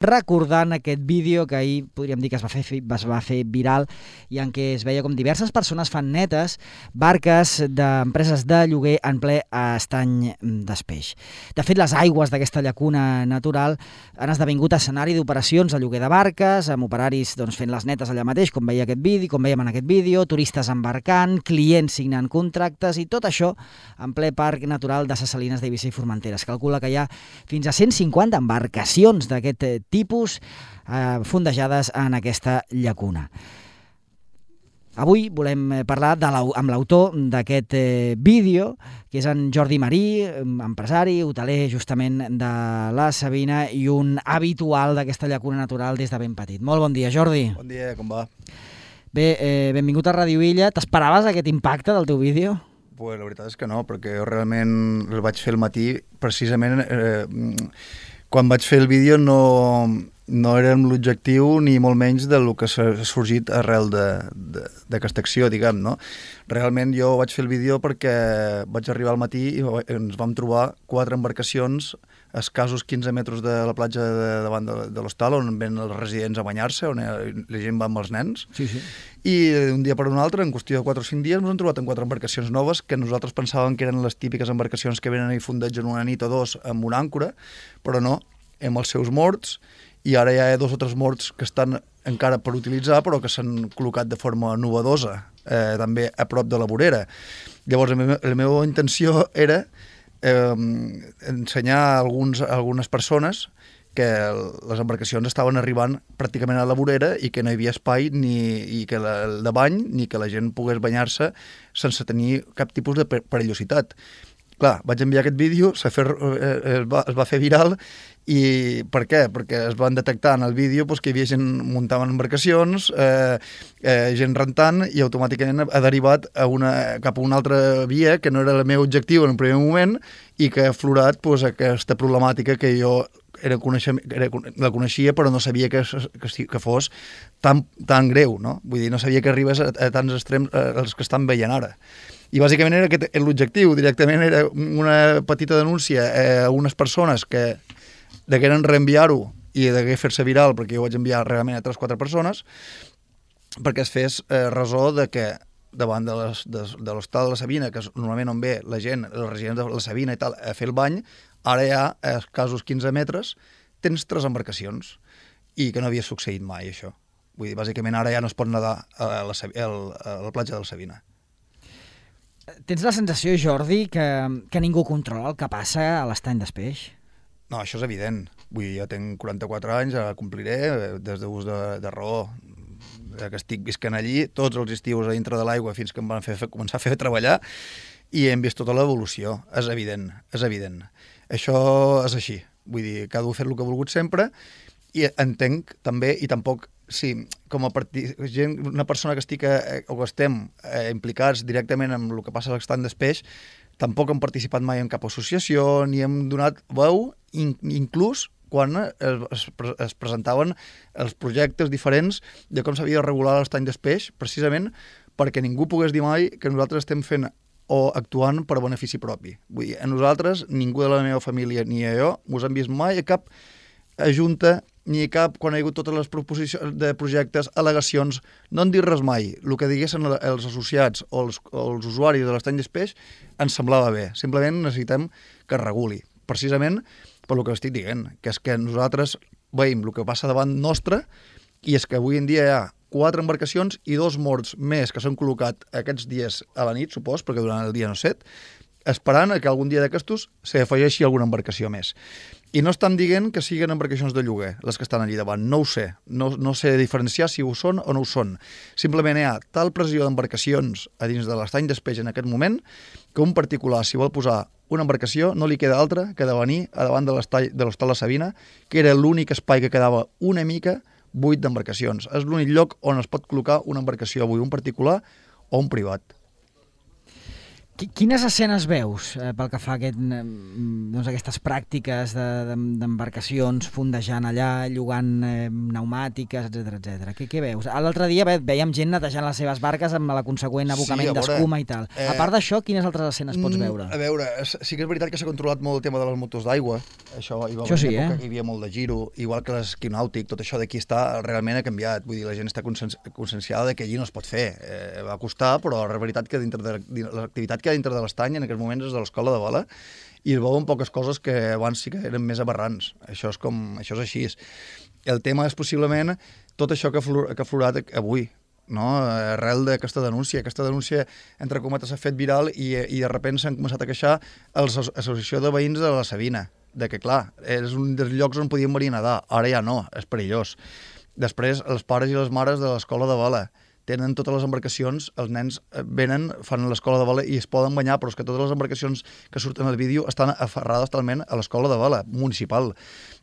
recordant aquest vídeo que ahir podríem dir que es va fer viral i en què es veia com diverses persones fan netes barques d'empreses de lloguer en ple estany d'Espeix. De fet, les aigües d'aquesta llacuna natural han esdevingut escenari d'operacions de lloguer de barques, amb operaris fent les netes allà mateix, com veiem en aquest vídeo, turistes embarcant, clients signant contractes i tot això en ple parc natural de Ses Salines d'Eivissa i Formentera. Es calcula que hi ha fins a 150 embarcacions d'aquest tipus fondejades en aquesta llacuna. Avui volem parlar amb l'autor d'aquest vídeo, que és en Jordi Marí, empresari, hoteler justament de la Savina i un habitual d'aquesta llacuna natural des de ben petit. Molt bon dia, Jordi. Bon dia, com va? Bé, benvingut a Ràdio Illa. T'esperaves aquest impacte del teu vídeo? Pues la veritat és que no, perquè jo realment el vaig fer al matí, precisament quan vaig fer el vídeo no era amb l'objectiu ni molt menys del que s'ha sorgit arrel d'aquesta acció, diguem, no? Realment jo vaig fer el vídeo perquè vaig arribar al matí i ens vam trobar 4 embarcacions a escassos 15 metres de la platja davant de l'hostal, on ven els residents a banyar-se, on la gent va amb els nens. Sí. I d'un dia per un altre, en qüestió de 4 o 5 dies, ens hem trobat amb 4 embarcacions noves que nosaltres pensàvem que eren les típiques embarcacions que venen i fondegen una nit o dos amb una àncora, però no, amb els seus morts, i ara hi ha 2 o 3 morts que estan encara per utilitzar, però que s'han col·locat de forma novedosa, també a prop de la vorera. Llavors, la meva intenció era ensenyar a algunes persones que les embarcacions estaven arribant pràcticament a la vorera i que no hi havia espai de bany ni que la gent pogués banyar-se sense tenir cap tipus de perillositat. Clar, vaig enviar aquest vídeo, es va fer viral, i per què? Perquè es van detectar en el vídeo que hi havia gent muntant embarcacions, gent rentant, i automàticament ha derivat cap a una altra via que no era el meu objectiu en un primer moment i que ha aflorat aquesta problemàtica que jo la coneixia però no sabia que fos tan greu, no? Vull dir, no sabia que arribés a tants extrems els que estan veient ara. I bàsicament era aquest l'objectiu, directament era una petita denúncia a unes persones que degueren reenviar-ho i degué fer-se viral, perquè jo vaig enviar realment a 3 o 4 persones, perquè es fes ressò de que davant de l'hostal de la Savina, que és normalment on ve la gent, els residents de la Savina i tal, a fer el bany, ara hi ha, a escassos 15 metres, tens 3 embarcacions, i que no havia succeït mai, això. Vull dir, bàsicament ara ja no es pot nedar a la platja de la Savina. Tens la sensació, Jordi, que ningú controla el que passa a l'estany d'Espeix? No, això és evident. Vull dir, jo tinc 44 anys, compliré, des d'ús de raó, que estic visquent allí, tots els estius a dintre de l'aigua fins que em van començar a fer treballar, i hem vist tota l'evolució. És evident. Això és així. Vull dir, cada un ha fet el que ha volgut sempre, i entenc també, i tampoc, sí, com a una persona que estem implicats directament en el que passa a l'estany d'Espeix, tampoc hem participat mai en cap associació, ni hem donat veu, inclús quan es presentaven els projectes diferents de com s'havia de regular l'estany d'Espeix, precisament perquè ningú pogués dir mai que nosaltres estem fent o actuant per benefici propi. Vull dir, a nosaltres, ningú de la meva família ni a jo, us hem vist mai a cap junta ni cap, quan hi ha hagut totes les proposicions de projectes, al·legacions, no han dit res mai. El que diguessin els associats o els usuaris de l'estany d'Espeix ens semblava bé. Simplement necessitem que es reguli. Precisament per el que estic dient, que és que nosaltres veiem el que passa davant nostre, i és que avui en dia hi ha 4 embarcacions i 2 morts més que s'han col·locat aquests dies a la nit, supos, perquè durant el dia no set, esperant que algun dia d'aquestos s'afegeixi alguna embarcació més. I no estan dient que siguin embarcacions de lloguer, les que estan allí davant. No ho sé. No sé diferenciar si ho són o no ho són. Simplement hi ha tal pressió d'embarcacions a dins de l'estany d'Espeix en aquest moment que un particular, si vol posar una embarcació, no li queda altra que de venir a davant de l'hostal de Savina, que era l'únic espai que quedava una mica buit d'embarcacions. És l'únic lloc on es pot col·locar una embarcació avui, un particular o un privat. Quines escenes veus pel que fa a aquestes pràctiques d'embarcacions fondejant allà, llogant pneumàtiques, etc. Què veus? L'altre dia veiem gent netejant les seves barques amb la conseqüent abocament d'escuma i tal. A part d'això, quines altres escenes pots veure? A veure, sí que és veritat que s'ha controlat molt el tema de les motos d'aigua. Això hi va haver sí, època que hi havia molt de giro, igual que l'esquí nàutic, tot això d'aquí realment ha canviat. Vull dir, la gent està conscienciada que allí no es pot fer. Va costar, però la veritat que dintre de l'activitat que hi ha dintre de l'estany en aquests moments és de l'escola de vela i es veuen poques coses que abans sí que eren més aberrants. Això és així. El tema és possiblement tot això que ha aflorat avui, no? Arrel d'aquesta denúncia. Aquesta denúncia, entre cometes, s'ha fet viral i de sobte s'han començat a queixar l'associació de veïns de la Sabina, de que, clar, és un dels llocs on podíem venir a nedar. Ara ja no, és perillós. Després, els pares i les mares de l'escola de vela tenen totes les embarcacions, els nens venen, fan l'escola de vela i es poden banyar, però és que totes les embarcacions que surten al vídeo estan aferrades talment a l'escola de vela municipal.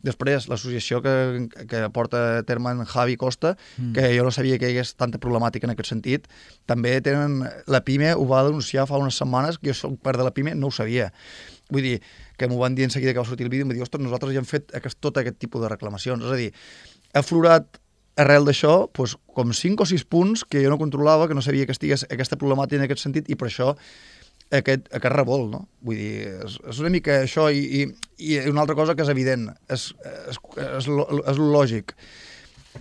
Després, l'associació que porta a terme en Javi Costa, que jo no sabia que hi hagués tanta problemàtica en aquest sentit, també tenen... La PIME ho va denunciar fa unes setmanes, que jo soc part de la PIME, no ho sabia. Vull dir, que m'ho van dir en seguida que va sortir el vídeo, em va dir, ostres, nosaltres ja hem fet tot aquest tipus de reclamacions. És a dir, ha aflorat arrel d'això, doncs, com 5 o 6 punts que jo no controlava, que no sabia que estigués aquesta problemàtica en aquest sentit, i per això aquest revolt, no? Vull dir, és una mica això, i una altra cosa que és evident, és lògic,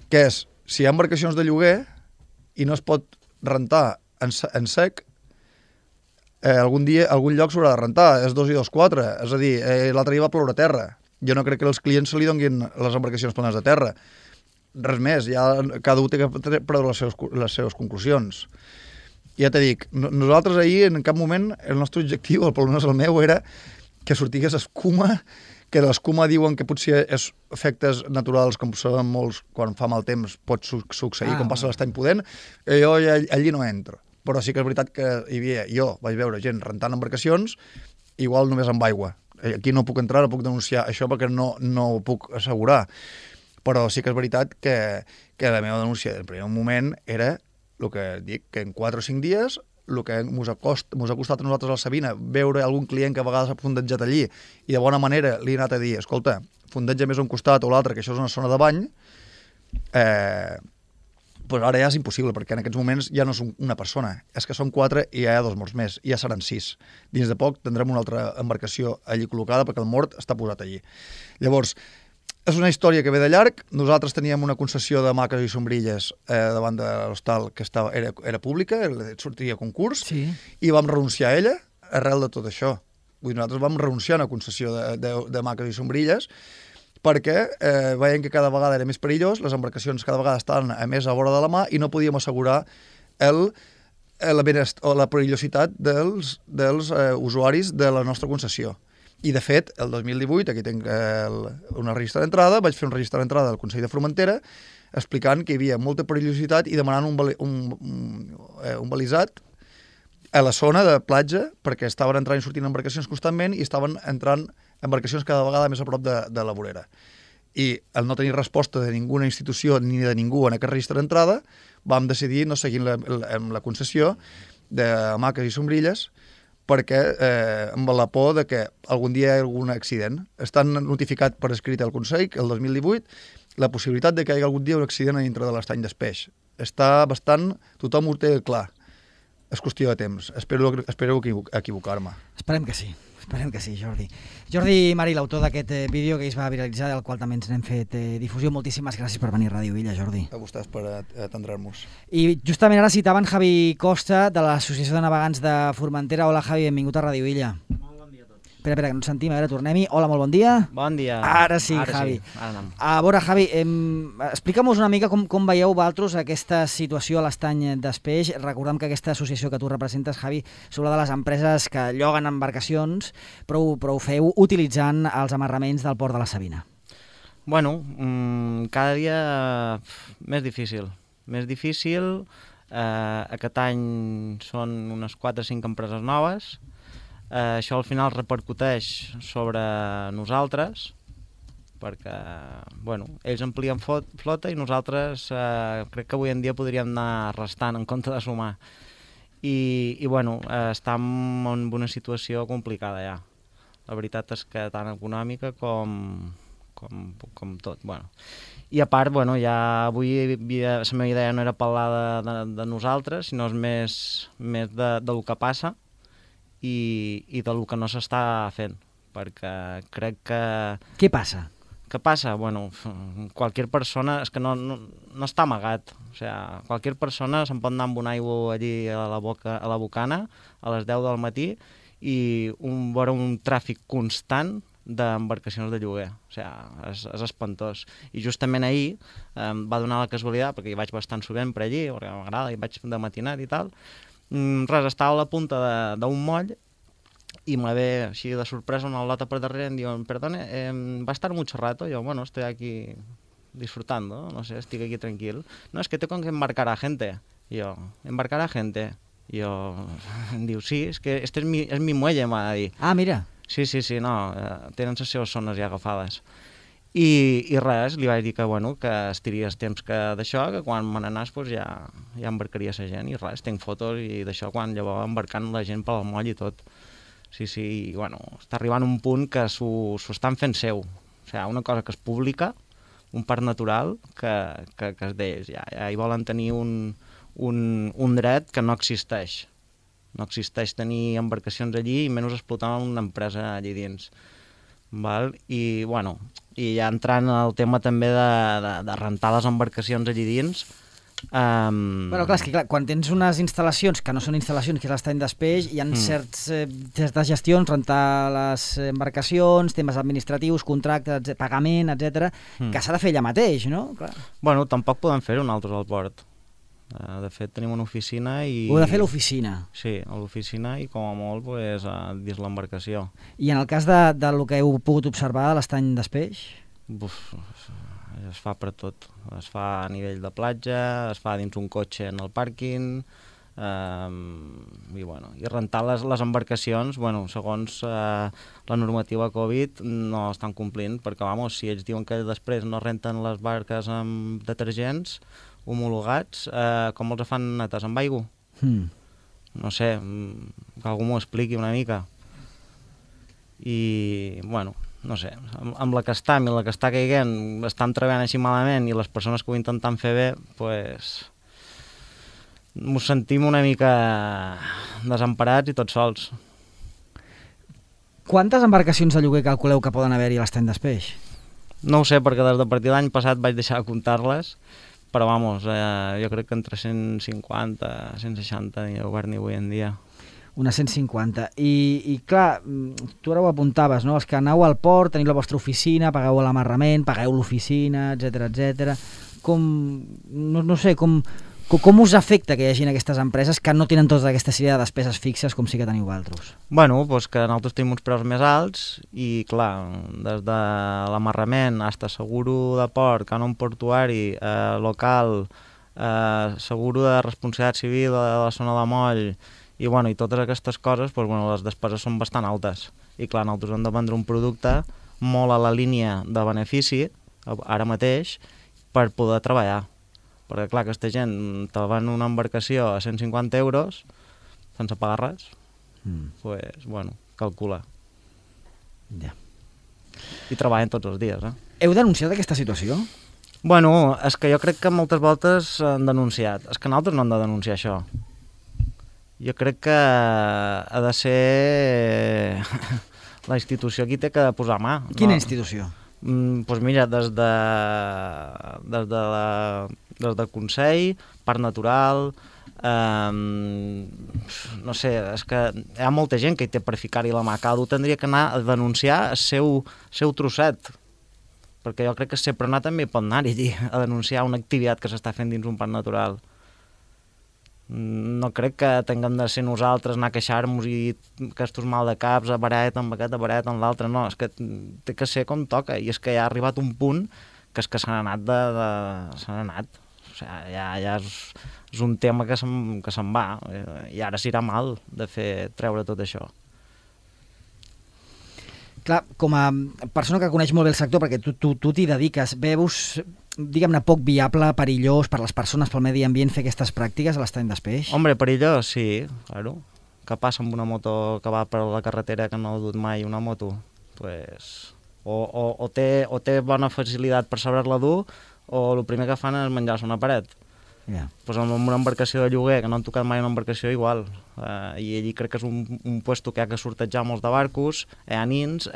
que és, si hi ha embarcacions de lloguer i no es pot rentar en sec, algun lloc s'haurà de rentar, és 2 i 2, 4, és a dir, l'altre dia va ploure a terra. Jo no crec que els clients se li donguin les embarcacions planes de terra. Res més, ja cada un té que prendre les seves conclusions. Ja t'he dit, nosaltres ahir en cap moment el nostre objectiu, almenys el meu, era que sortigués escuma, que l'escuma diuen que potser és efectes naturals, com sabem molts, quan fa mal temps pot succeir, com passa l'estany pudent, jo allí no entro. Però sí que és veritat que jo vaig veure gent rentant embarcacions, igual només amb aigua. Aquí no puc entrar, no puc denunciar això perquè no ho puc assegurar. Però sí que és veritat que la meva denúncia del primer moment era el que dic, que en 4 o 5 dies el que mos ha costat a nosaltres a la Sabina veure algun client que a vegades ha fondejat allí i de bona manera li he anat a dir, escolta, fondeja més a un costat o l'altre, que això és una zona de bany, doncs ara ja és impossible, perquè en aquests moments ja no és una persona, és que són 4 i ja hi ha 2 morts més, i ja seran 6. Dins de poc tindrem una altra embarcació allí col·locada perquè el mort està posat allí. Llavors, és una història que ve de llarg. Nosaltres teníem una concessió de maques i sombrilles davant de l'hostal que era pública, sortia a concurs, i vam renunciar a ella arrel de tot això. Vull dir, nosaltres vam renunciar a una concessió de maques i sombrilles perquè veiem que cada vegada era més perillós, les embarcacions cada vegada estaven més a vora de la mà i no podíem assegurar la perillositat dels usuaris de la nostra concessió. I, de fet, el 2018, aquí tinc una registre d'entrada, vaig fer un registre d'entrada del Consell de Formentera explicant que hi havia molta perillositat i demanant un balisat a la zona de platja perquè estaven entrant i sortint embarcacions constantment i estaven entrant embarcacions cada vegada més a prop de la vorera. I al no tenir resposta de ninguna institució ni de ningú en aquest registre d'entrada, vam decidir no seguir amb la concessió de maques i sombrilles perquè amb la por de que algun dia hi hagi algun accident. Estan notificat per escrit al Consell el 2018 la possibilitat de que hi hagi algun dia un accident a dintre de l'estany d'Espeix. Està bastant... Tothom ho té clar. És qüestió de temps. Espero equivocar-me. Esperem que sí, Jordi. Jordi Marí, l'autor d'aquest vídeo que es va viralitzar, del qual també ens n'hem fet difusió. Moltíssimes gràcies per venir a Ràdio Illa, Jordi. A vostès per atendre-nos. I justament ara citaven Javi Costa, de l'Associació de Navegants de Formentera. Hola, Javi, benvingut a Ràdio Illa. Molt bon dia a tots. Espera, que no ens sentim. A veure, tornem-hi. Hola, molt bon dia. Bon dia. Ara sí, Javi. Sí. Ara anem. A veure, Javi, explica'm-nos una mica com veieu vosaltres aquesta situació a l'estany d'Espeix. Recordem que aquesta associació que tu representes, Javi, és una de les empreses que lloguen embarcacions, però ho feu utilitzant els amarraments del port de la Sabina. Bueno, cada dia més difícil. Més difícil. Aquest any són unes 4 o 5 empreses noves. Això al final repercuteix sobre nosaltres perquè ells amplien flota i nosaltres crec que avui en dia podríem anar restant en compte de sumar i bueno, estem en una situació complicada ja. La veritat és que tant econòmica com tot. Bueno. I a part, bueno, ja avui la meva idea no era parlar de nosaltres, sinó més del que passa i del que no s'està fent, perquè crec que... Què passa? Què passa? Bueno, qualsevol persona, és que no està amagat, o sigui, qualsevol persona se'n pot anar amb un aigua allí a la bocana a les 10 del matí i veure un tràfic constant d'embarcacions de lloguer, o sigui, és espantós. I justament ahir va donar la casualitat, perquè hi vaig bastant sovint per allí, perquè m'agrada, hi vaig de matinat i tal, estava a la punta d'un moll i me ve així de sorpresa una lota per darrere i em diuen, perdone, ¿va a estar mucho rato? Yo, bueno, estoy aquí disfrutando, no sé, estic aquí tranquil. No, es que tengo que embarcar a gente. Y yo, ¿embarcar a gente? Y yo, em diu, sí, es que este es mi muelle, m'ha de dir. Ah, mira. Sí, no, tenen les seves zones ja agafades. I res, li vaig dir que, bueno, que estiries temps que d'això, que quan me n'anàs pues, ja embarcaria la gent, i res, tinc fotos i d'això quan llavors embarcant la gent pel moll i tot. Sí, i, bueno, està arribant un punt que s'ho estan fent seu. O sigui, una cosa que és pública, un parc natural, que és d'ells. Ja hi volen tenir un dret que no existeix. No existeix tenir embarcacions allí i menys explotar una empresa allí dins. Val? I, bueno, i ja entrant al tema també de rentar les embarcacions allí dins... Bueno, clar, és que clar, quan tens unes instal·lacions que no són instal·lacions, que és l'estany d'espeix, hi ha certes gestions, rentar les embarcacions, temes administratius, contractes, pagament, etc, que s'ha de fer allà mateix, no? Clar. Bueno, tampoc podem fer-ho nosaltres al port. De fet, tenim una oficina i... Ho heu de fer a l'oficina? Sí, a l'oficina i com a molt pues, dins l'embarcació. I en el cas del que heu pogut observar de l'estany d'espeix? Es fa per tot. Es fa a nivell de platja, es fa dins un cotxe en el pàrquing, i rentar les embarcacions, bueno, segons la normativa Covid, no estan complint, perquè si ells diuen que després no renten les barques amb detergents homologats, com els fan netes amb aigua? No sé, que algú m'ho expliqui una mica. I, bueno, no sé, amb la que està i la que està caiguent, estan treballant així malament i les persones que ho intenten fer bé, pues, m'ho sentim una mica desemparats i tots sols. Quantes embarcacions de lloguer calculeu que poden haver-hi a l'estany d'espeix? No ho sé, perquè des de partir de l'any passat vaig deixar de comptar-les, però jo crec que entre 150 i 160 n'hi ha obert ni avui en dia. Unes 150. I clar, tu ara ho apuntaves, no? Els que aneu al port, teniu la vostra oficina, pagueu l'amarrament, pagueu l'oficina, etc. No sé, com us afecta que hi hagi aquestes empreses que no tenen tota aquesta sèrie de despeses fixes com sí que teniu vosaltres? Bueno, doncs que nosaltres tenim uns preus més alts i, clar, des de l'amarrament fins a seguro de port, cànon portuari, local, seguro de responsabilitat civil de la zona de moll, i totes aquestes coses, les despeses són bastant altes. I clar, nosaltres hem de vendre un producte molt a la línia de benefici, ara mateix, per poder treballar. Perquè clar, aquesta gent te ven una embarcació a 150 euros, sense pagar res, calcula. Ja. I treballen tots els dies, Heu denunciat aquesta situació? Bueno, és que jo crec que moltes voltes han denunciat. És que nosaltres no hem de denunciar això. Jo crec que ha de ser la institució qui té que posar mà. Quina institució? Doncs mira, des del Consell, Parc Natural, no sé, és que hi ha molta gent que hi té per ficar-hi la mà. Cada un tindria que anar a denunciar el seu trosset, perquè jo crec que sempre anar també pot anar-hi a denunciar una activitat que s'està fent dins un parc natural. No crec que tinguem de ser nosaltres anar a queixar-nos i aquests mal de caps, a baret, amb aquest, a baret, amb l'altre, no, és que té que ser com toca, i és que ja ha arribat un punt que és que s'han anat s'han anat, o sigui, ja és un tema que se'n va, i ara s'irà mal de treure tot això. Clar, com a persona que coneix molt bé el sector, perquè tu t'hi dediques, veus diguem-ne, poc viable, perillós per les persones, pel medi ambient, fer aquestes pràctiques a l'estany d'Espeix? Hombre, perillós, sí, claro. Que passa amb una moto que va per la carretera que no ha dut mai una moto? Pues, o té bona facilitat per saber-la dur, o el primer que fan és menjar-se una paret. Yeah. Pues amb una embarcació de lloguer, que no han tocat mai una embarcació, igual. I allí crec que és un puesto que hi ha que sortejar molts de barcos, hi ha nins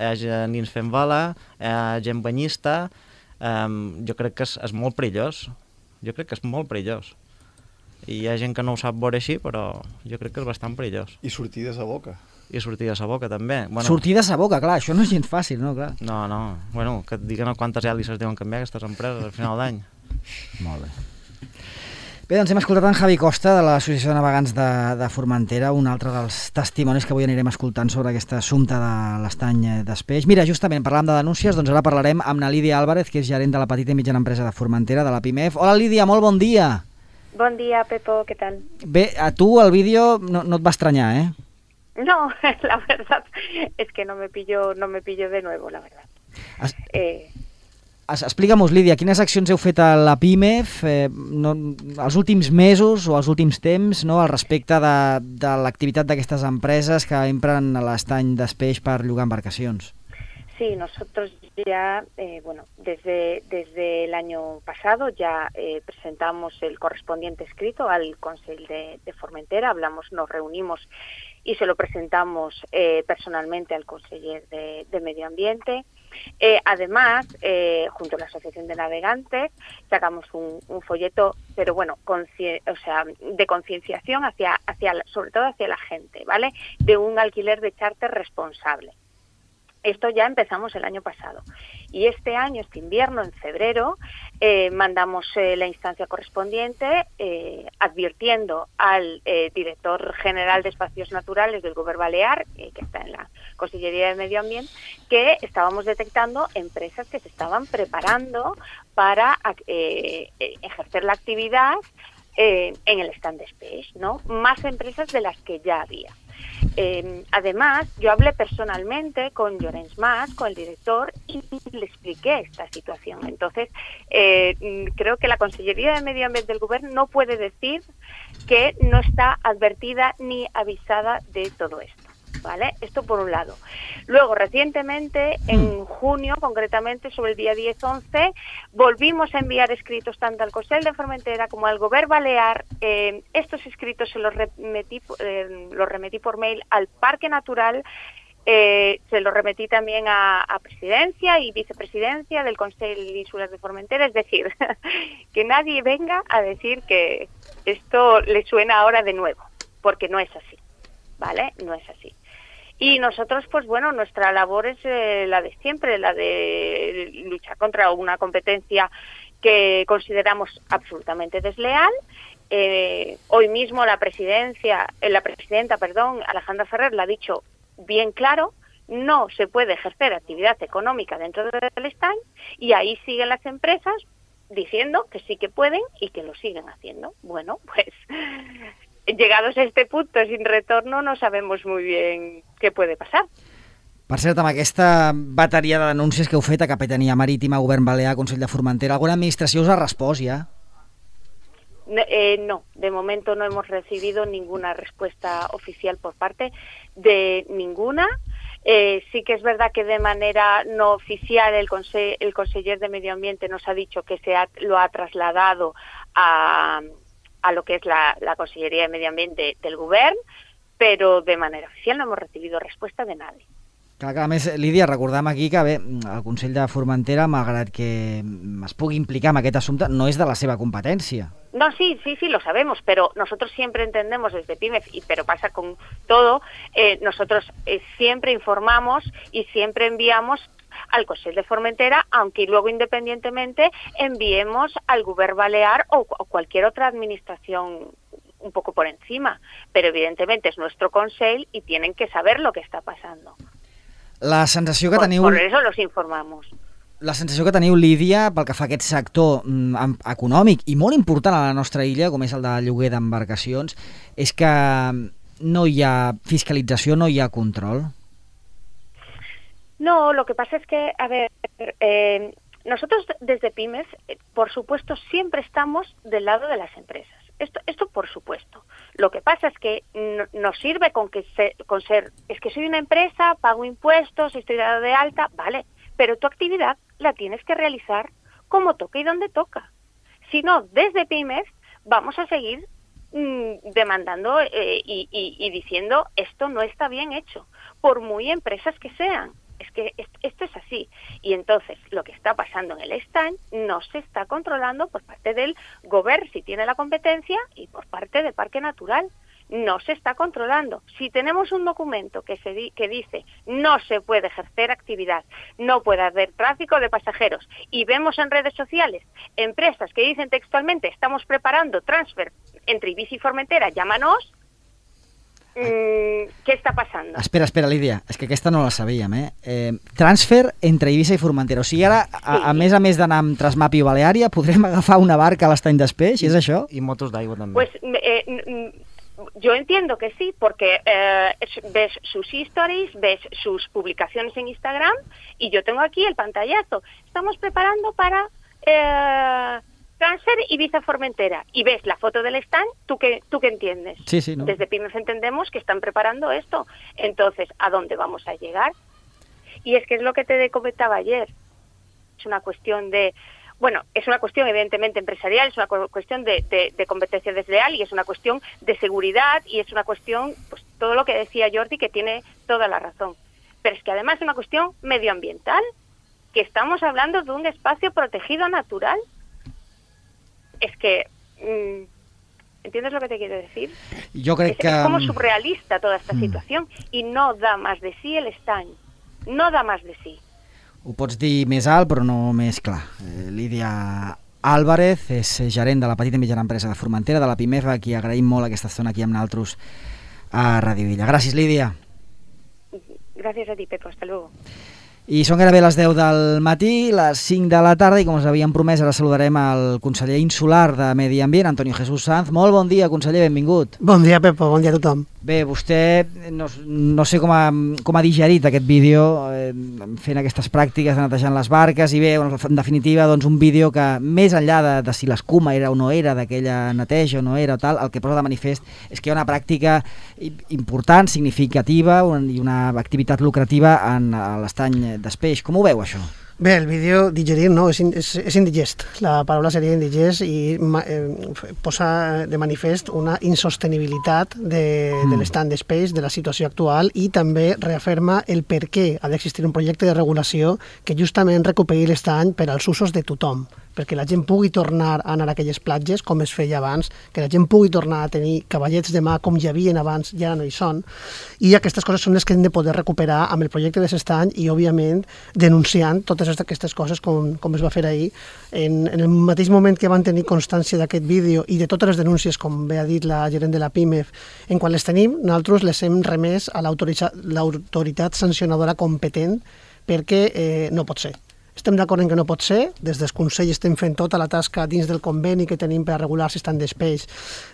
fent vela, hi ha gent banyista. Jo crec que és molt perillós. Jo crec que és molt perillós. I hi ha gent que no ho sap veure així, però jo crec que és bastant perillós. I sortides a boca. I sortides a boca, també. Bueno, Sortides a boca, clar, això no és gens fàcil, no? Clar. No. Bueno, que et diguen quantes hèlices deuen canviar aquestes empreses al final d'any. Molt bé. Bé, doncs hem escoltat en Javi Costa de l'Associació de Navegants de Formentera, un altre dels testimonis que avui anirem escoltant sobre aquest assumpte de l'estany d'Espeix. Mira, justament parlàvem de denúncies, doncs ara parlarem amb la Lídia Álvarez, que és gerent de la petita i mitjana empresa de Formentera, de la PIMEF. Hola Lídia, molt bon dia. Bon dia, Pepo, ¿qué tal? Bé, a tu el vídeo no et va estranyar, eh? No, la verdad es que no me pillo de nuevo, la verdad. Explica'm-nos, Lídia, quines accions heu fet a la PIMEF els últims mesos o els últims temps, no, al respecte de l'activitat d'aquestes empreses que empren l'estany d'Espeix per llogar embarcacions? Sí, nosotros ya, desde el año pasado ya presentamos el correspondiente escrito al Consell de Formentera, nos reunimos y se lo presentamos personalmente al conseller de Medio Ambiente. Además, junto a la Asociación de Navegantes, sacamos un folleto, pero bueno, de concienciación sobre todo hacia la gente, ¿vale? De un alquiler de charter responsable. Esto ya empezamos el año pasado. Y este año, este invierno, en febrero, mandamos la instancia correspondiente advirtiendo al director general de Espacios Naturales del Govern Balear, que está en la Consellería de Medio Ambiente, que estábamos detectando empresas que se estaban preparando para ejercer la actividad en el stand d'Espeix, ¿no? Más empresas de las que ya había. Además, yo hablé personalmente con Llorenç Mas, con el director, y le expliqué esta situación. Entonces, creo que la Consellería de Medio Ambiente del Govern no puede decir que no está advertida ni avisada de todo esto, ¿vale? Esto por un lado. Luego, recientemente, en junio, concretamente sobre el día 10-11, volvimos a enviar escritos tanto al Consell de Formentera como al Govern Balear. Estos escritos se los remetí por mail al Parque Natural, se los remetí también a Presidencia y Vicepresidencia del Consell Insular de Formentera, es decir, que nadie venga a decir que esto le suena ahora de nuevo, porque no es así, ¿vale? No es así. Y nosotros, pues bueno, nuestra labor es la de siempre, la de luchar contra una competencia que consideramos absolutamente desleal. Hoy mismo la presidenta, Alejandra Ferrer, la ha dicho bien claro: no se puede ejercer actividad económica dentro del stand, y ahí siguen las empresas diciendo que sí que pueden y que lo siguen haciendo. Bueno, pues llegados a este punto sin retorno, no sabemos muy bien què puede passar. Per cert, amb aquesta bateria de denúncies que heu fet a Capitania Marítima, Govern Balear, Consell de Formentera, ¿alguna administració us ha respost ja? No, de momento no hemos recibido ninguna respuesta oficial por parte de ninguna. Sí que es verdad que de manera no oficial el conseller de Medio Ambiente nos ha dicho que lo ha trasladado a lo que es la Conselleria de Medio Ambiente del Govern, però de manera oficial no hemos recibido respuesta de nadie. Clar, a més, Lídia, recordem aquí que bé, el Consell de Formentera, malgrat que es pugui implicar en aquest assumpte, no és de la seva competència. No, sí, lo sabemos, pero nosotros siempre entendemos desde PIMEF, pero pasa con todo, nosotros siempre informamos y siempre enviamos al Consell de Formentera, aunque luego independientemente enviemos al Govern Balear o cualquier otra administración un poco por encima, pero evidentemente es nuestro Consell y tienen que saber lo que está pasando. La sensació que teniu... Por eso los informamos. La sensació que teniu, Lídia, pel que fa a aquest sector econòmic i molt important a la nostra illa, com és el de lloguer d'embarcacions, és que no hi ha fiscalització, no hi ha control. No, lo que pasa es que, a ver, nosotros desde PYMEF, por supuesto, siempre estamos del lado de las empresas. Esto por supuesto. Lo que pasa es que nos sirve con ser, es que soy una empresa, pago impuestos, estoy dado de alta, vale, pero tu actividad la tienes que realizar como toca y donde toca. Si no, desde PYMEF vamos a seguir demandando y diciendo esto no está bien hecho, por muy empresas que sean. Es que esto es así. Y entonces lo que está pasando en el estany no se está controlando por parte del gobierno, si tiene la competencia, y por parte del Parque Natural. No se está controlando. Si tenemos un documento que dice no se puede ejercer actividad, no puede haber tráfico de pasajeros, y vemos en redes sociales empresas que dicen textualmente estamos preparando transfer entre Ibiza y Formentera, llámanos, què està passant? Espera, Lídia, és que aquesta no la sabíem, transfer entre Eivissa i Formentera. O sigui, ara, a més d'anar amb Transmapi o Baleària, podrem agafar una barca a l'estany d'Espeix, és això? I motos d'aigua també. Pues, yo entiendo que sí, porque ves sus stories, ves sus publicaciones en Instagram, y yo tengo aquí el pantallazo. Estamos preparando para transfer Ibiza-Formentera, y ves la foto del stand, ¿tú qué entiendes? Sí, ¿no? Desde PYMEF entendemos que están preparando esto. Entonces, ¿a dónde vamos a llegar? Y es que es lo que te comentaba ayer. Es una cuestión de... Bueno, es una cuestión evidentemente empresarial, es una cuestión de competencia desleal, y es una cuestión de seguridad, y es una cuestión, pues todo lo que decía Jordi, que tiene toda la razón. Pero es que además es una cuestión medioambiental, que estamos hablando de un espacio protegido natural. Es que... ¿entiendes lo que te quiero decir? Yo creo que... Es como surrealista toda esta situación, y no da más de sí el estany. No da más de sí. Ho pots dir més alt, però no més clar. Lídia Álvarez és gerent de la petita i mitjana empresa de Formentera, de la PYMEF, a qui agraïm molt aquesta estona aquí amb nosaltres a Ràdio Illa. Gràcies, Lídia. Gràcies a ti, Pepo. Hasta luego. I són gairebé les 10 del matí, les 5 de la tarda, i com us havíem promès, ara saludarem el conseller insular de Medi Ambient, Antonio Jesús Sanz. Molt bon dia, conseller, benvingut. Bon dia, Pepo, bon dia a tothom. Bé, vostè no sé com ha digerit aquest vídeo fent aquestes pràctiques de netejant les barques, i bé, en definitiva, doncs un vídeo que, més enllà de si l'escuma era o no era d'aquella neteja o no era o tal, el que posa de manifest és que hi ha una pràctica important, significativa, i una activitat lucrativa en l'estany d'Espeix. Com ho veu, això? Bé, el vídeo digerir no, és indigest. La paraula seria indigest, i posa de manifest una insostenibilitat de l'estany d'Espeix, de la situació actual, i també reafirma el per què ha d'existir un projecte de regulació que justament recuperi l'estany per als usos de tothom, perquè la gent pugui tornar a anar a aquelles platges com es feia abans, que la gent pugui tornar a tenir cavallets de mà com hi havien abans, ja no hi són, i aquestes coses són les que hem de poder recuperar amb el projecte de l'estany, i òbviament denunciant totes aquestes coses com es va fer ahir. En el mateix moment que van tenir constància d'aquest vídeo i de totes les denúncies, com bé ha dit la gerent de la PYMEF, en quan les tenim, nosaltres les hem remès a l'autoritat sancionadora competent, perquè no pot ser. Estem d'acord en que no pot ser. Des del Consell estem fent tota la tasca dins del conveni que tenim per a regular l'estany d'Espeix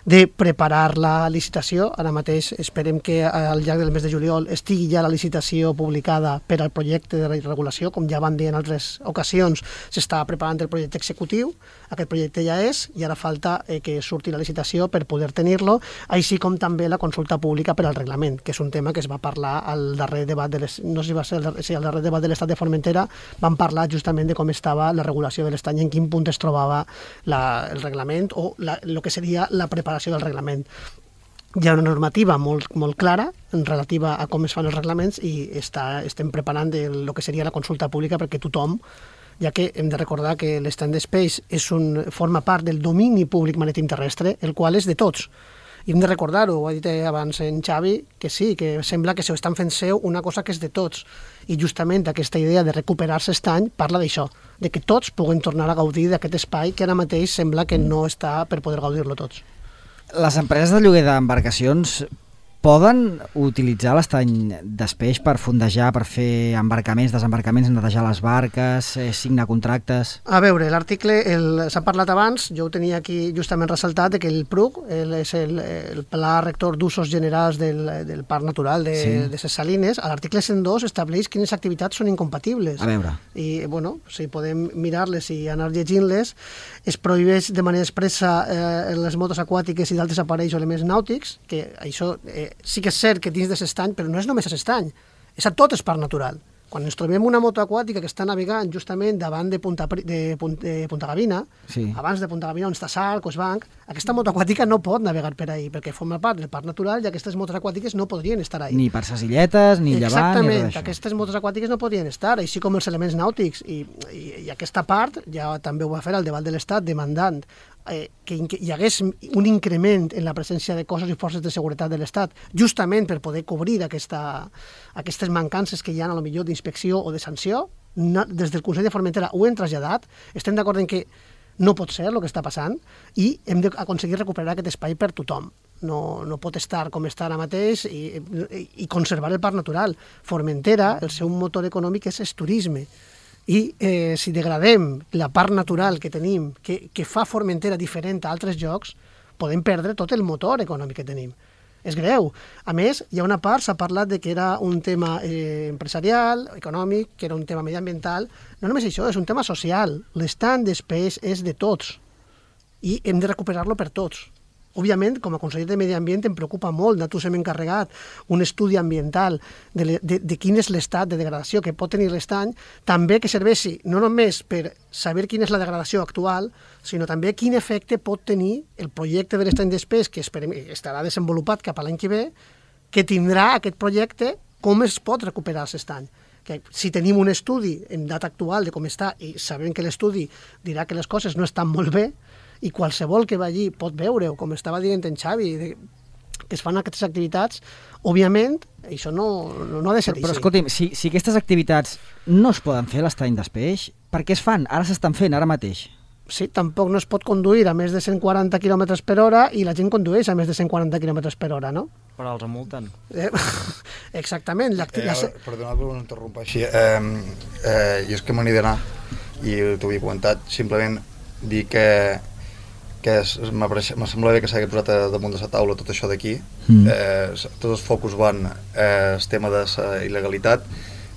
de preparar la licitació. Ara mateix esperem que al llarg del mes de juliol estigui ja la licitació publicada per al projecte de regulació. Com ja van dir en altres ocasions, s'està preparant el projecte executiu. Aquest projecte ja és, i ara falta que surti la licitació per poder tenir-lo, així com també la consulta pública per al reglament, que és un tema que es va parlar al darrer debat de al darrer debat de l'estat de Formentera. Van parlar justament de com estava la regulació de l'estany, en quin punt es trobava el reglament o el que seria la preparació del reglament. Hi ha una normativa molt clara relativa a com es fan els reglaments, i estem preparant el que seria la consulta pública perquè tothom, ja que hem de recordar que l'estany d'Espeix forma part del domini públic marítim terrestre, el qual és de tots. I hem de recordar-ho, ho ha dit abans en Xavi, que sí, que sembla que s'ho estan fent seu una cosa que és de tots. I justament aquesta idea de recuperar-se estany parla d'això, de que tots puguen tornar a gaudir d'aquest espai que ara mateix sembla que no està per poder gaudir-lo tots. Les empreses de lloguer d'embarcacions poden utilitzar l'estany d'Espeix per fondejar, per fer embarcaments, desembarcaments, netejar les barques, signar contractes? A veure, l'article s'ha parlat abans, jo ho tenia aquí justament ressaltat, que el PRUC és el Pla Rector d'Usos Generals del Parc Natural de Ses Salines. A l'article 102 estableix quines activitats són incompatibles. A veure. I, bueno, si podem mirar-les i anar llegint-les, es prohibeix de manera expressa les motos aquàtiques i d'altres aparells o elements nàutics, que això sí que és cert que dins de l'estany, però no és només a l'estany, és a tot el parc natural. Quan ens trobem una moto aquàtica que està navegant justament davant de Punta Gavina, abans de Punta Gavina on està Sarc o Esbanc, aquesta moto aquàtica no pot navegar per ahí, perquè forma part del parc natural i aquestes motos aquàtiques no podrien estar ahí. Ni per ses illetes, ni llevant, exactament, ni res d'això. Aquestes motos aquàtiques no podrien estar, així com els elements nàutics. I aquesta part ja també ho va fer el debat de l'Estat demandant que hi hagués un increment en la presència de cossos i forces de seguretat de l'Estat, justament per poder cobrir aquestes mancances que hi ha, a lo millor, d'inspecció o de sanció. Des del Consell de Formentera ho hem traslladat, estem d'acord en que no pot ser el que està passant i hem d'aconseguir recuperar aquest espai per tothom. No pot estar com està ara mateix i conservar el parc natural. Formentera, el seu motor econòmic és el turisme. I si degradem la part natural que tenim, que fa Formentera diferent a altres llocs, podem perdre tot el motor econòmic que tenim. És greu. A més, hi ha una part, s'ha parlat de que era un tema empresarial, econòmic, que era un tema mediambiental. No només això, és un tema social. L'estany d'Espeix és de tots i hem de recuperar-lo per tots. Òbviament, com a conseller de Medi Ambient em preocupa molt, nosaltres hem encarregat un estudi ambiental de quin és l'estat de degradació que pot tenir l'estany, també que serveixi no només per saber quina és la degradació actual, sinó també quin efecte pot tenir el projecte de l'estany d'Espeix, que estarà desenvolupat cap a l'any que ve, que tindrà aquest projecte, com es pot recuperar l'estany. Que si tenim un estudi en data actual de com està i sabem que l'estudi dirà que les coses no estan molt bé, i qualsevol que va allí pot veure, com estava dient en Xavi, que es fan aquestes activitats, òbviament, això no ha de ser així. Però escolti'm, si aquestes activitats no es poden fer a l'estany d'Espeix, per què es fan? Ara s'estan fent, ara mateix. Sí, tampoc no es pot conduir a més de 140 km per hora i la gent condueix a més de 140 km per hora, no? Però els multen. Exactament. Perdona per interrompre així. Jo és que me n'he d'anar i t'ho havia comentat. Simplement dir que m'ha semblat bé que s'hagi posat damunt de la taula tot això d'aquí. Tots els focus van al tema de la il·legalitat.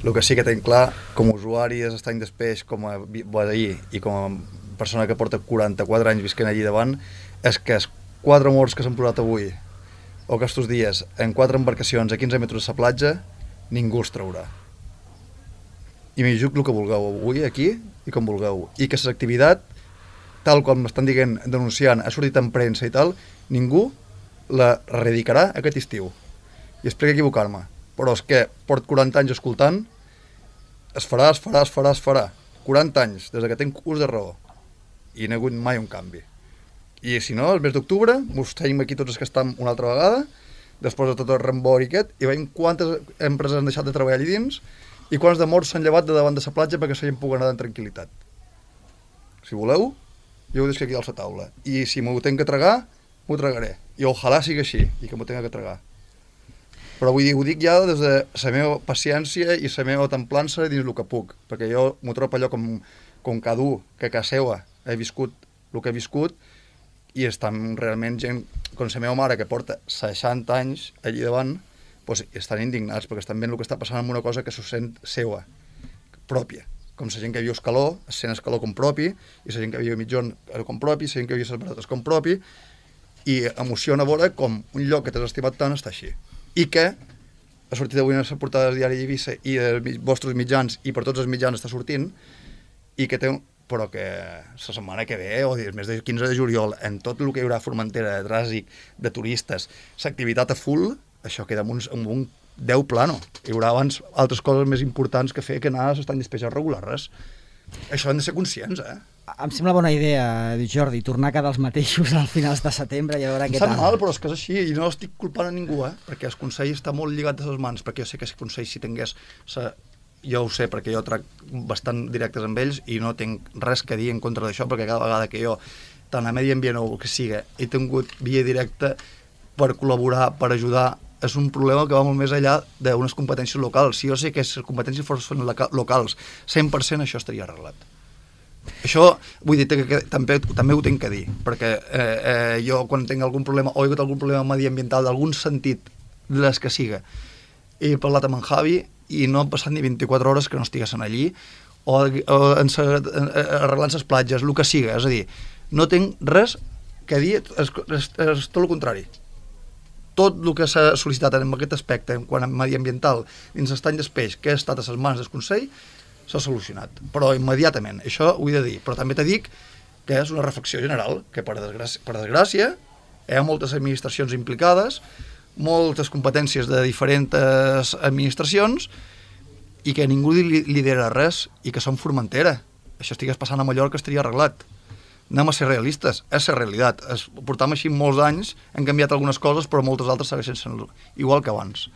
El que sí que tenim clar, com a usuari de l'estany d'Espeix, com a veí i com a persona que porta 44 anys visquent allí davant, és que els 4 morts que s'han posat avui o aquests dies en 4 embarcacions a 15 metres de la platja, ningú els traurà. I m'hi jugo el que vulgueu avui aquí i com vulgueu. I que l'activitat, tal com m'estan dient, denunciant, ha sortit en premsa i tal, ningú la erradicarà aquest estiu. I espero equivocar-me, però és que porto 40 anys escoltant, es farà. 40 anys, des que tinc ús de raó. I no hi ha hagut mai un canvi. I si no, el mes d'octubre, mos tenim aquí tots els que estem una altra vegada, després de tot el rembor i aquest, i veiem quantes empreses han deixat de treballar allà dins i quants de morts s'han llevat de davant de la platja perquè la gent pugui anar en tranquil·litat. Si voleu, jo ho deixo aquí a la taula. I si m'ho tenc que tragar, m'ho tragaré. I ojalà sigui així, i que m'ho tenc que tragar. Però vull dir, ho dic ja des de la meva paciència i la meva templança dins el que puc, perquè jo m'ho trobo allò com cada un que a casa seva he viscut el que he viscut i estan realment gent com la meva mare que porta 60 anys allí davant, doncs estan indignats perquè estan veient el que està passant amb una cosa que s'ho sent seva, pròpia. Com la gent que viu Escaló, sent Escaló com propi, i la gent que viu Mitjón com propi, la gent que viu les Barates com propi, i emociona veure com un lloc que t'has estimat tant està així. I que ha sortit avui en la portada del diari Eivissa i dels vostres mitjans, i per tots els mitjans està sortint, i que té però que la setmana que ve, o el mes de 15 de juliol, en tot el que hi haurà a Formentera, de trànsit, de turistes, l'activitat a full, això queda amb un 10 plano. Hi haurà abans altres coses més importants que fer que anar a l'estany d'Espeix a regular res. Això hem de ser conscients, Em sembla bona idea, Jordi, tornar a quedar els mateixos al finals de setembre i a veure què tal. Em sap mal, però és que és així, i no estic culpant a ningú, perquè el Consell està molt lligat a les mans, perquè jo sé que el Consell, si tingués... Jo ho sé, perquè jo trac bastant directes amb ells i no tinc res que dir en contra d'això, perquè cada vegada que jo, tant a Medi Ambient o el que siga, he tingut via directa per col·laborar, per ajudar és un problema que va molt més enllà d'unes competències locals. Si jo sé que les competències fossin locals, 100% això estaria arreglat. Això, vull dir que també ho tinc que dir, perquè jo quan tinc algun problema, o he hagut algun problema mediambiental d'algun sentit, de les que siga, he parlat amb en Javi i no han passat ni 24 hores que no estiguessin allí, o arreglant les platges, el que siga, és a dir, no tinc res que dir, és tot el contrari. Tot el que s'ha sol·licitat en aquest aspecte, en quant a mediambiental, dins l'estany d'espeix, que ha estat a les mans del Consell, s'ha solucionat, però immediatament, això ho he de dir, però també te dic que és una reflexió general, que per desgràcia hi ha moltes administracions implicades, moltes competències de diferents administracions i que ningú lidera res i que som Formentera. Això estigués passant a Mallorca estaria arreglat. Anem a ser realistes, és la realitat. Portam així molts anys, hem canviat algunes coses, però moltes altres segueixen sent igual que abans.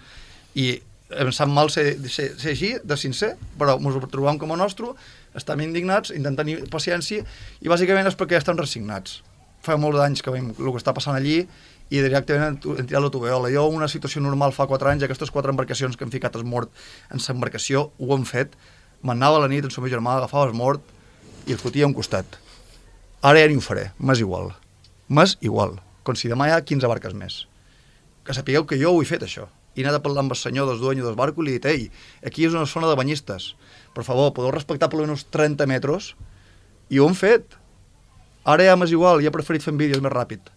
I em sap mal ser així, de sincer, però ens ho trobam com a nostre, estem indignats, intentem tenir paciència, i bàsicament és perquè estem resignats. Fa molts anys que veiem el que està passant allí i directament hem tirat la tovallola. Jo, en una situació normal fa 4 anys, aquestes 4 embarcacions que hem ficat el mort en l'embarcació, ho hem fet, m'anava a la nit amb el meu germà, agafava el mort i el fotia a un costat. Ara ja ni ho faré, m'és igual. M'és igual, com si demà hi ha 15 barques més. Que sapigueu que jo ho he fet, això. I he anat a parlar amb el senyor dels dueños dels barcos i li he dit, ei, aquí és una zona de banyistes, per favor, podeu respectar per almenys 30 metres, i ho hem fet. Ara ja m'és igual, ja he preferit fer vídeos més ràpid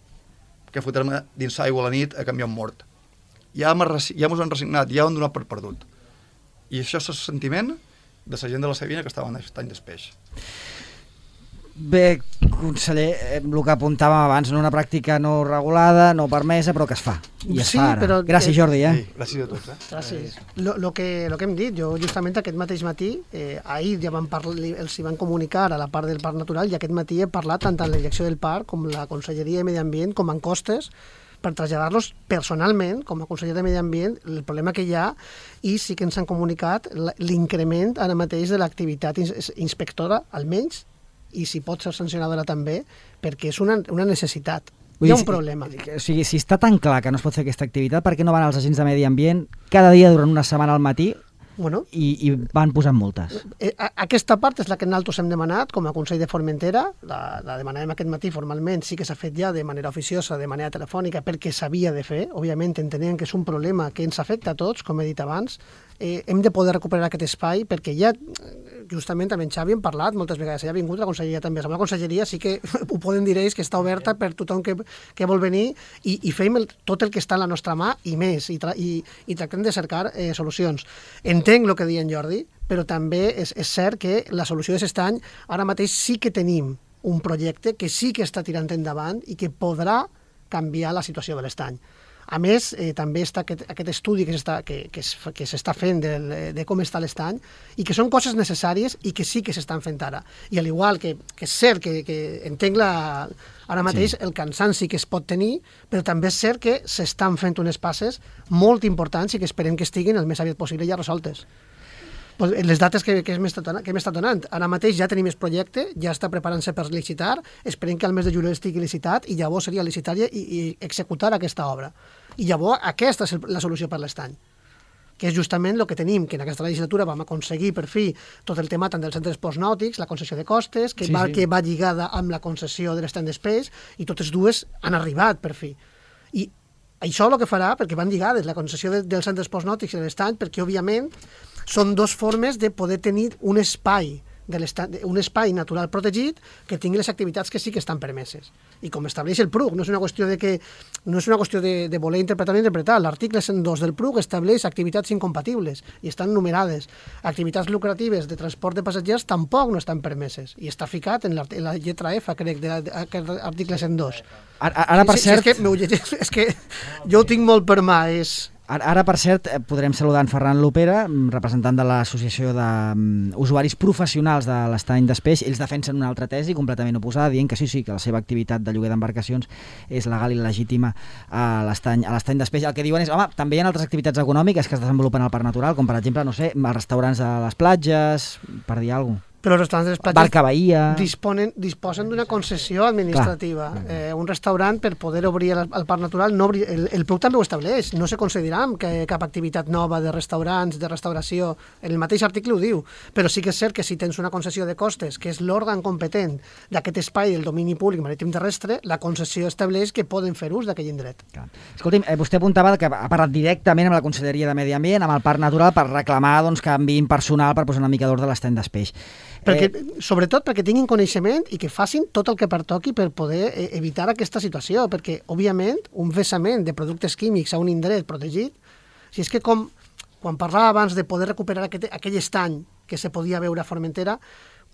que fotre-me dins l'aigua a la nit a canviar un mort. Ja mos han resignat, ja ho han donat per perdut. I això és el sentiment de la gent de la Sabina que estava en l'estany d'espeix. Bé, conseller, el que apuntàvem abans, una pràctica no regulada, no permesa, però que es fa. I es fa ara. Però, gràcies, Jordi. Sí, gràcies a tots. Gràcies. Lo que hem dit, jo justament aquest mateix matí, ahir ja els hi van comunicar a la part del Parc Natural i aquest matí he parlat tant amb la direcció del parc com la Conselleria de Medi Ambient com en Costes per traslladar-los personalment, com a conseller de Medi Ambient, el problema que hi ha, i sí que ens han comunicat l'increment ara mateix de l'activitat inspectora, almenys, i si pot ser sancionadora també, perquè és una necessitat. Hi ha un problema. O sigui, si està tan clar que no es pot fer aquesta activitat, per què no van els agents de Medi Ambient cada dia durant una setmana al matí i van posant multes? Aquesta part és la que nosaltres hem demanat com a Consell de Formentera, la demanàvem aquest matí formalment, sí que s'ha fet ja de manera oficiosa, de manera telefònica, perquè s'havia de fer, òbviament entenem que és un problema que ens afecta a tots, com he dit abans, hem de poder recuperar aquest espai perquè ja, justament amb en Xavi hem parlat moltes vegades, ja ha vingut la conselleria també, amb la conselleria sí que ho poden dir ells que està oberta per tothom que vol venir i fem tot el que està a la nostra mà i més, i tractem de cercar solucions. Entenc el que deia en Jordi, però també és cert que la solució de l'estany, ara mateix sí que tenim un projecte que sí que està tirant endavant i que podrà canviar la situació de l'estany. A més, també està aquest estudi que s'està fent de com està l'estany i que són coses necessàries i que sí que s'estan fent ara. I al igual que és cert que entenc ara mateix el cansanci que es pot tenir, però també és cert que s'estan fent unes passes molt importants i que esperem que estiguin el més aviat possible ja resoltes. Les dates que hem estat donant. Ara mateix ja tenim el projecte, ja està preparant-se per licitar, esperem que al mes de juliol estigui licitat i llavors seria licitar i executar aquesta obra. I llavors aquesta és la solució per l'estany, que és justament el que tenim, que en aquesta legislatura vam aconseguir per fi tot el tema tant dels centres esports nàutics, la concessió de costes, que va lligada amb la concessió de l'estany d'espais, i totes dues han arribat per fi. I això el que farà, perquè van lligades, la concessió dels centres esports nàutics i l'estany, perquè òbviament són dues formes de poder tenir un espai natural protegit que tingui les activitats que sí que estan permeses. I com estableix el PRUC, no és una qüestió de voler interpretar o interpretar. L'article 102 del PRUC estableix activitats incompatibles i estan numerades. Activitats lucratives de transport de passatgers tampoc no estan permeses i està ficat en la lletra F, crec, d'aquest article 102. Ara, per cert... És que jo ho tinc molt per mà, Ara, per cert, podrem saludar en Ferran Lopera, representant de l'Associació d'Usuaris Professionals de l'Estany d'Espeix. Ells defensen una altra tesi completament oposada, dient que sí, que la seva activitat de lloguer d'embarcacions és legal i legítima a l'Estany d'Espeix. El que diuen és, home, també hi ha altres activitats econòmiques que es desenvolupen al Parc Natural, com per exemple, no sé, els restaurants a les platges, per dir alguna cosa. Però els restaurants de les platges Barca Bahia... disposen d'una concessió administrativa. Un restaurant, per poder obrir al Parc Natural, no obrir, el PRUC també ho estableix, no se concedirà cap activitat nova de restaurants, de restauració, en el mateix article ho diu, però sí que és cert que si tens una concessió de costes, que és l'òrgan competent d'aquest espai del domini públic marítim terrestre, la concessió estableix que poden fer ús d'aquell indret. Escolti'm, vostè apuntava que ha parlat directament amb la Conselleria de Medi Ambient, amb el Parc Natural, per reclamar doncs, que enviïn personal per posar una mica d'ordre a l'estany d'Espeix. Sobretot perquè tinguin coneixement i que facin tot el que pertoqui per poder evitar aquesta situació, perquè, òbviament, un vessament de productes químics a un indret protegit, si és que com quan parlava abans de poder recuperar aquell estany que se podia veure a Formentera,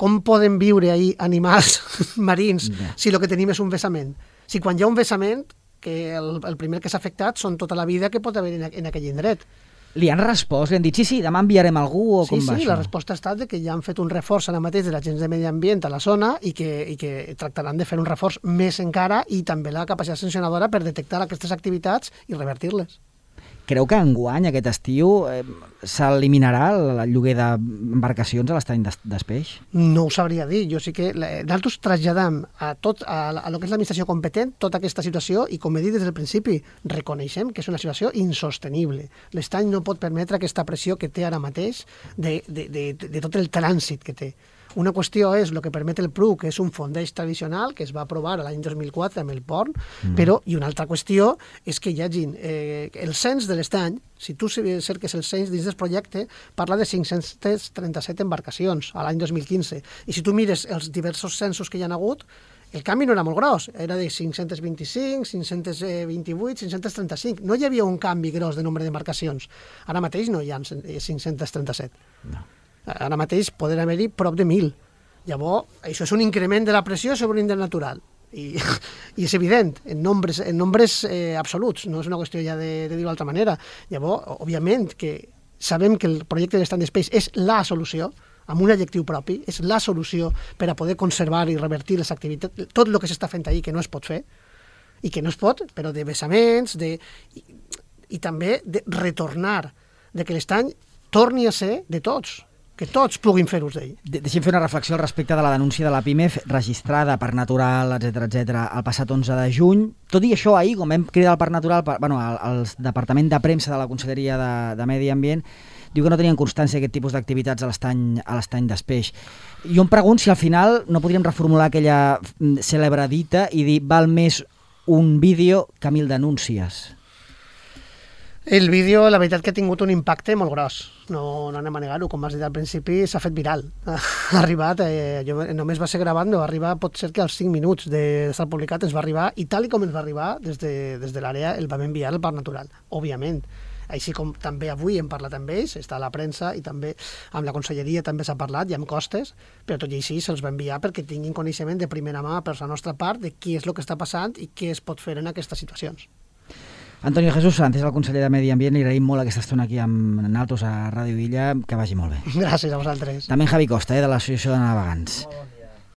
com poden viure ahí animals marins si el que tenim és un vessament? Si quan hi ha un vessament, que el primer que s'ha afectat són tota la vida que pot haver en aquell indret. Li han respost? Li han dit, sí, demà enviarem algú o com va això? Sí, la resposta ha estat que ja han fet un reforç ara mateix de l'agents de medi ambient a la zona i que tractaran de fer un reforç més encara i també la capacitat sancionadora per detectar aquestes activitats i revertir-les. Creu que enguany, aquest estiu, s'eliminarà el lloguer d'embarcacions a l'estany d'Espeix? No ho sabria dir. Jo sí que nosaltres traslladam a lo que és l'administració competent tota aquesta situació i, com he dit des del principi, reconeixem que és una situació insostenible. L'estany no pot permetre aquesta pressió que té ara mateix de tot el trànsit que té. Una qüestió és el que permet el PRUC, que és un fondeig tradicional que es va aprovar l'any 2004 amb el port, però, i una altra qüestió és que hi hagi el cens de l'estany. Si tu cerques el cens dins del projecte, parla de 537 embarcacions a l'any 2015. I si tu mires els diversos censos que hi ha hagut, el canvi no era molt gros, era de 525, 528, 535. No hi havia un canvi gros de nombre d'embarcacions. Ara mateix no hi ha 537. No. Ara mateix poden haver-hi prop de 1.000. Llavors, això és un increment de la pressió sobre un indret natural. I és evident, en nombres absoluts, no és una qüestió ja de dir-ho d'altra manera. Llavors, òbviament, que sabem que el projecte de l'estany d'Espeix és la solució, amb un adjectiu propi, és la solució per a poder conservar i revertir les activitats, tot el que s'està fent ahir que no es pot fer, i que no es pot, però de vessaments, i també de retornar, de que l'estany torni a ser de tots, que tots puguin fer ús d'ell. Deixem fer una reflexió al respecte de la denúncia de la PIMEF registrada per Natural, etc el passat 11 de juny. Tot i això, ahir, com vam cridar al Parc Natural, el Departament de Premsa de la Conselleria de Medi Ambient diu que no tenien constància d'aquest tipus d'activitats a l'estany d'Espeix. Jo em pregunto si al final no podríem reformular aquella cèlebre dita i dir val més un vídeo que 1.000 denúncies. El vídeo, la veritat que ha tingut un impacte molt gros, no anem a negar-ho, com has dit al principi, s'ha fet viral. Ha arribat, jo només va ser gravant, no va arribar, pot ser que als 5 minuts d'estar publicat ens va arribar, i tal com ens va arribar, des de l'àrea el vam enviar al Parc Natural, òbviament. Així com també avui hem parlat amb ells, està a la premsa i també amb la conselleria també s'ha parlat i amb costes, però tot i així se'ls va enviar perquè tinguin coneixement de primera mà per la nostra part de què és el que està passant i què es pot fer en aquestes situacions. Antonio Jesús Sanz, el conseller de Medi Ambient, li agraïm molt aquesta estona aquí amb nosaltres a Ràdio Illa, que vagi molt bé. Gràcies a vosaltres. També Javi Costa, de l'Associació de Navegants.